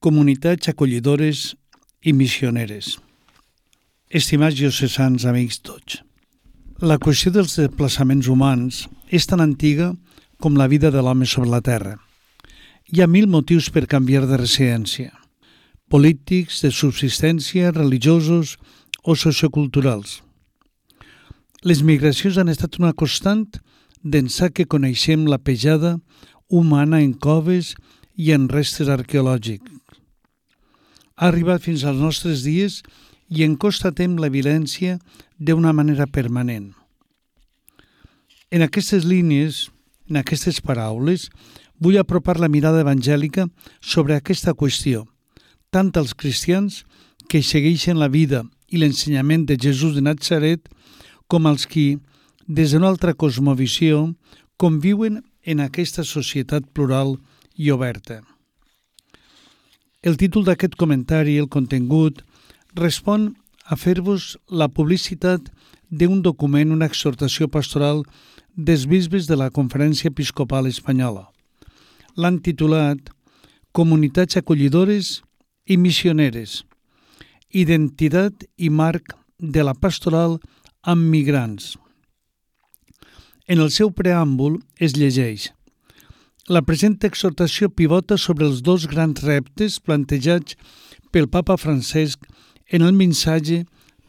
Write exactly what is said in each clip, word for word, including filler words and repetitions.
Comunitats acollidores i missioneres. Estimats diocesans, amics tots, la qüestió dels desplaçaments humans és tan antiga com la vida de l'home sobre la terra. Hi ha mil motius per canviar de residència, polítics, de subsistència, religiosos o socioculturals. Les migracions han estat una constant d'ençà que coneixem la pejada humana en coves i en restes arqueològics. Ha arribat fins als nostres dies i en constatem la violència d'una manera permanent. En aquestes línies, en aquestes paraules, vull apropar la mirada evangèlica sobre aquesta qüestió, tant als cristians que segueixen la vida i l'ensenyament de Jesús de Natzaret, com als qui, des d'una altra cosmovisió, conviuen en aquesta societat plural i oberta. El títol d'aquest comentari, el contingut, respon a fer-vos la publicitat d'un document, una exhortació pastoral dels bisbes de la Conferència Episcopal Espanyola. L'han titulat Comunitats acollidores i missioneres, identitat i marc de la pastoral amb migrants. En el seu preàmbul es llegeix: la present exhortació pivota sobre els dos grans reptes plantejats pel Papa Francesc en el missatge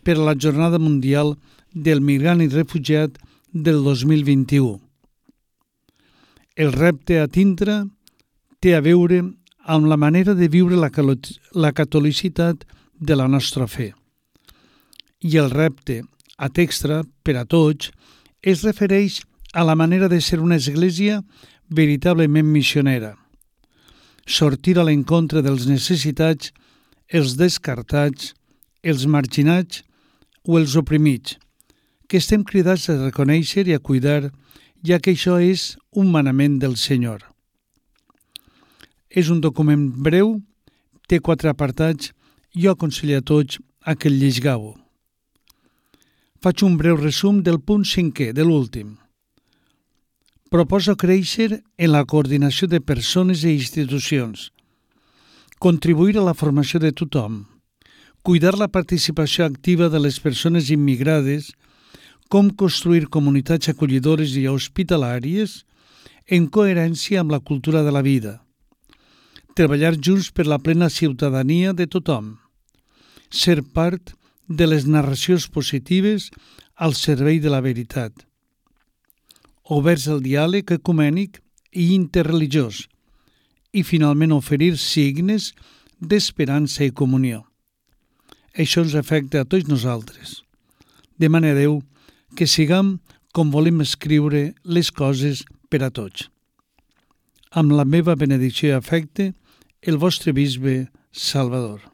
per a la Jornada Mundial del Migrant i Refugiat del dos mil vint-i-u. El repte a tindre té a veure amb la manera de viure la, la catolicitat de la nostra fe. I el repte a extra per a tots es refereix a la manera de ser una església veritablement missionera. Sortir a l'encontre dels necessitats, els descartats, els marginats o els oprimits, que estem cridats a reconèixer i a cuidar, ja que això és un manament del Senyor. És un document breu, té quatre apartats, jo aconsello a tots a que el llegiu. Faig un breu resum del punt cinquè, de l'últim. Proposa créixer en la coordinació de persones i institucions, contribuir a la formació de tothom, cuidar la participació activa de les persones immigrades, com construir comunitats acollidores i hospitalàries en coherència amb la cultura de la vida, treballar junts per la plena ciutadania de tothom, ser part de les narracions positives al servei de la veritat, oberts al diàleg ecumènic i interreligiós i finalment oferir signes d'esperança i comunió. Això ens afecta a tots nosaltres. Demane a Déu que siguem com volem escriure les coses per a tots. Amb la meva benedicció i afecte, el vostre bisbe Salvador.